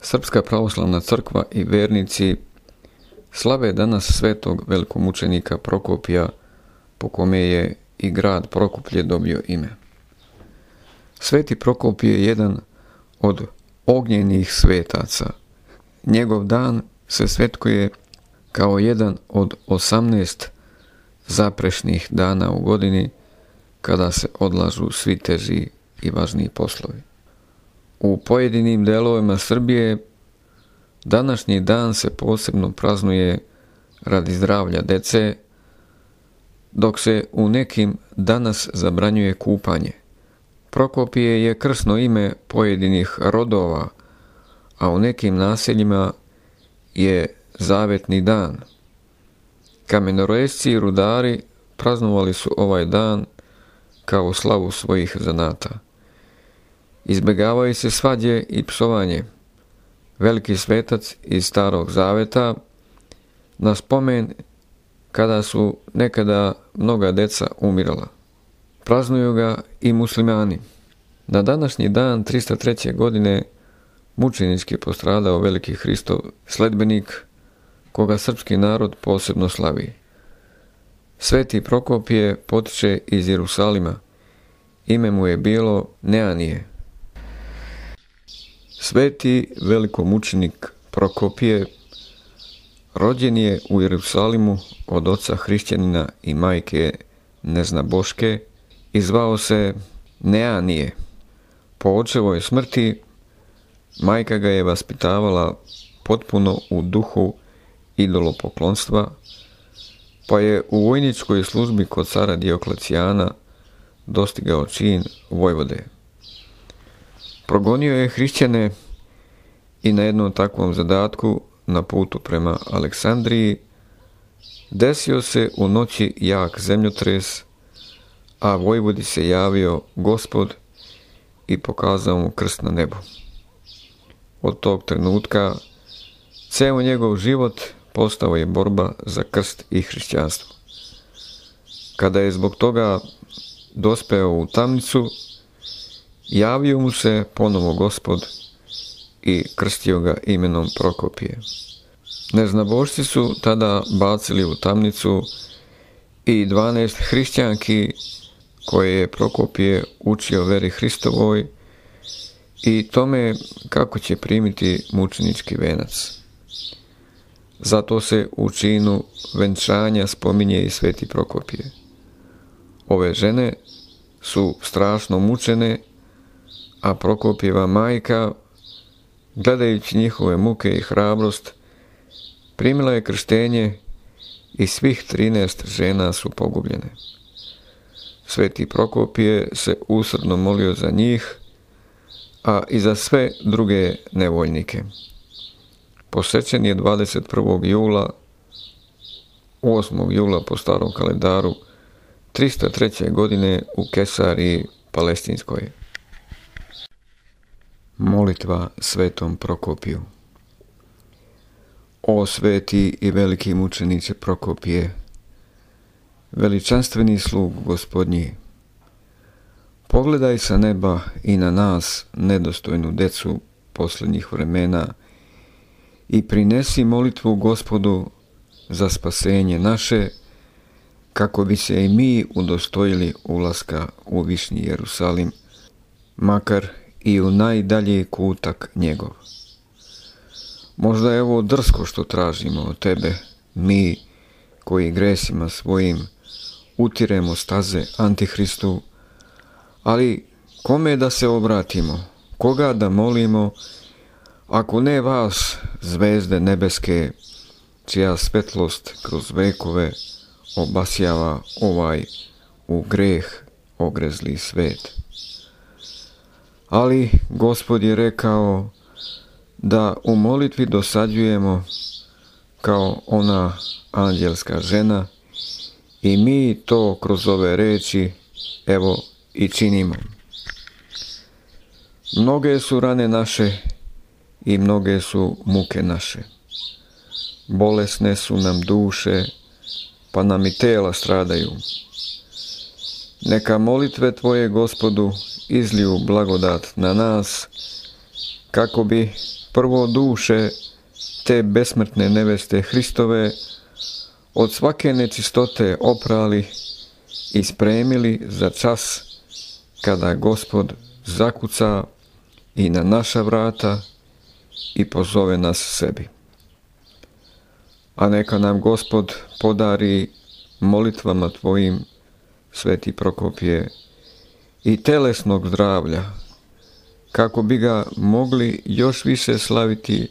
Srpska pravoslavna crkva i vernici slave danas svetog velikomučenika Prokopija, po kome je i grad Prokuplje dobio ime. Sveti Prokopije je jedan od ognjenih svetaca. Njegov dan se svetkuje kao jedan od 18 zaprešnih dana u godini kada se odlažu svi teži i važniji poslovi. U pojedinim delovima Srbije današnji dan se posebno praznuje radi zdravlja dece, dok se u nekim danas zabranjuje kupanje. Prokopije je krsno ime pojedinih rodova, a u nekim naseljima je zavetni dan. Kamenorezci i rudari praznovali su ovaj dan kao slavu svojih zanata. Izbjegavaju se svađe i psovanje. Veliki svetac iz Starog Zaveta na spomen kada su nekada mnoga deca umirala. Praznuju ga i muslimani. Na današnji dan 303. godine mučenički postradao veliki Hristov sledbenik, koga srpski narod posebno slavi. Sveti Prokopije potiče iz Jerusalima. Ime mu je bilo Neanije. Sveti velikomučenik Prokopije rođen je u Jerusalimu od oca hrišćanina i majke neznaboške i zvao se Neanije. Po očevoj smrti majka ga je vaspitavala potpuno u duhu idolopoklonstva, pa je u vojničkoj službi kod cara Dioklecijana dostigao čin vojvode. Progonio je hrišćane i na jednom takvom zadatku na putu prema Aleksandriji desio se u noći jak zemljotres, a vojvodi se javio Gospod i pokazao mu krst na nebu. Od tog trenutka ceo njegov život postao je borba za krst i hrišćanstvo. Kada je zbog toga dospeo u tamnicu, javio mu se ponovo Gospod i krstio ga imenom Prokopije. Neznabošci su tada bacili u tamnicu i 12 hrišćanki koje je Prokopije učio veri Hristovoj i tome kako će primiti mučenički venac. Zato se u činu venčanja spominje i sveti Prokopije. Ove žene su strašno mučene, a Prokopijeva majka, gledajući njihove muke i hrabrost, primila je krštenje i svih 13 žena su pogubljene. Sveti Prokopije se usrdno molio za njih, a i za sve druge nevoljnike. Posvećen je 21. jula, 8. jula po starom kalendaru, 303. godine u Kesariji Palestinskoj. Molitva svetom Prokopiju. O sveti i veliki mučeniče Prokopije, veličanstveni slug Gospodnji, pogledaj sa neba i na nas, nedostojnu decu posljednjih vremena, i prinesi molitvu Gospodu za spasenje naše, kako bi se i mi udostojili ulaska u višnji Jerusalim, makar i u najdalji kutak njegov. Možda je ovo drsko što tražimo od tebe, mi koji gresima svojim utiremo staze Antihristu, ali kome da se obratimo, koga da molimo, ako ne vas, zvezde nebeske, čija svetlost kroz vekove obasjava ovaj u greh ogrezli svet. Ali Gospod je rekao da u molitvi dosađujemo kao ona anđelska žena i mi to kroz ove reči evo i činimo. Mnoge su rane naše i mnoge su muke naše. Bolesne su nam duše, pa nam i tela stradaju. Neka molitve Tvoje, Gospodu, izliju blagodat na nas, kako bi prvo duše te besmrtne neveste Hristove od svake nečistote oprali i spremili za čas kada Gospod zakuca i na naša vrata i pozove nas sebi. A neka nam Gospod podari molitvama Tvojim, Sveti Prokopije, i telesnog zdravlja, kako bi ga mogli još više slaviti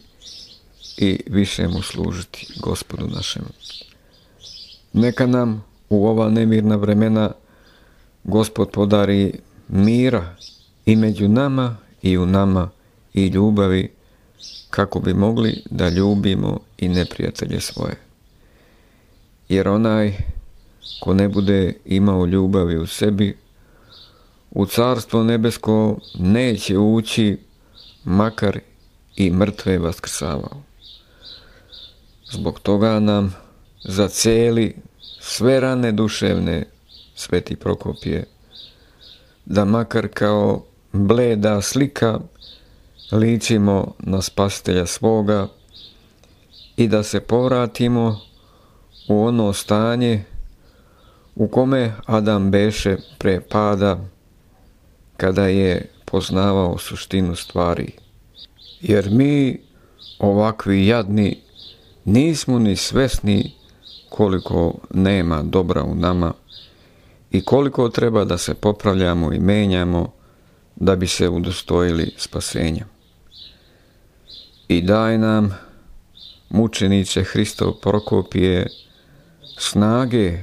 i više mu služiti, Gospodu našemu. Neka nam u ova nemirna vremena Gospod podari mira i među nama i u nama i ljubavi, kako bi mogli da ljubimo i neprijatelje svoje. Jer onaj ko ne bude imao ljubavi u sebi, u Carstvo nebesko neće ući, makar i mrtve vaskrsavao. Zbog toga nam zaceli sve rane duševne, Sveti Prokopije, da makar kao bleda slika ličimo na Spasitelja svoga i da se povratimo u ono stanje u kome Adam beše pre pada, kada je poznavao suštinu stvari. Jer mi, ovakvi jadni, nismo ni svesni koliko nema dobra u nama i koliko treba da se popravljamo i menjamo da bi se udostojili spasenja. I daj nam, mučeniče Hristov Prokopije, snage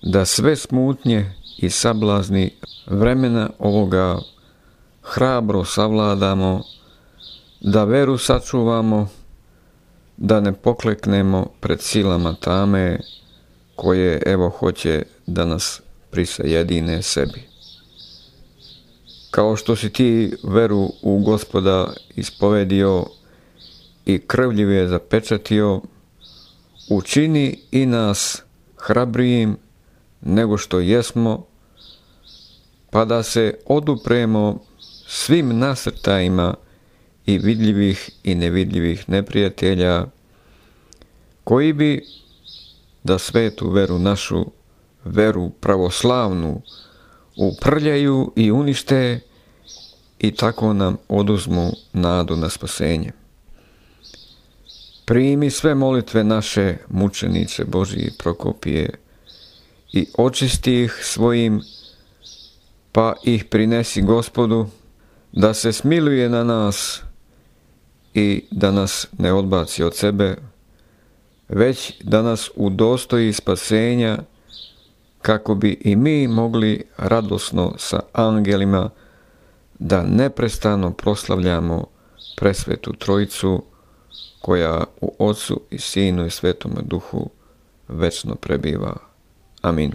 da sve smutnje i sablazni vremena ovoga hrabro savladamo, da veru sačuvamo, da ne pokleknemo pred silama tame koje evo hoće da nas prisajedine sebi. Kao što si ti veru u Gospoda ispovedio i krvljive zapečatio, učini i nas hrabrijim nego što jesmo, pa da se odupremo svim nasrtajima i vidljivih i nevidljivih neprijatelja, koji bi da svetu veru našu, veru pravoslavnu, uprljaju i unište i tako nam oduzmu nadu na spasenje. Primi sve molitve naše, mučeniče Božji Prokopije, i očisti ih svojim, pa ih prinesi Gospodu, da se smiluje na nas i da nas ne odbaci od sebe, već da nas udostoji spasenja, kako bi i mi mogli radosno sa angelima da neprestano proslavljamo presvetu Trojicu, koja u Otcu i Sinu i Svetome Duhu večno prebiva. Amin.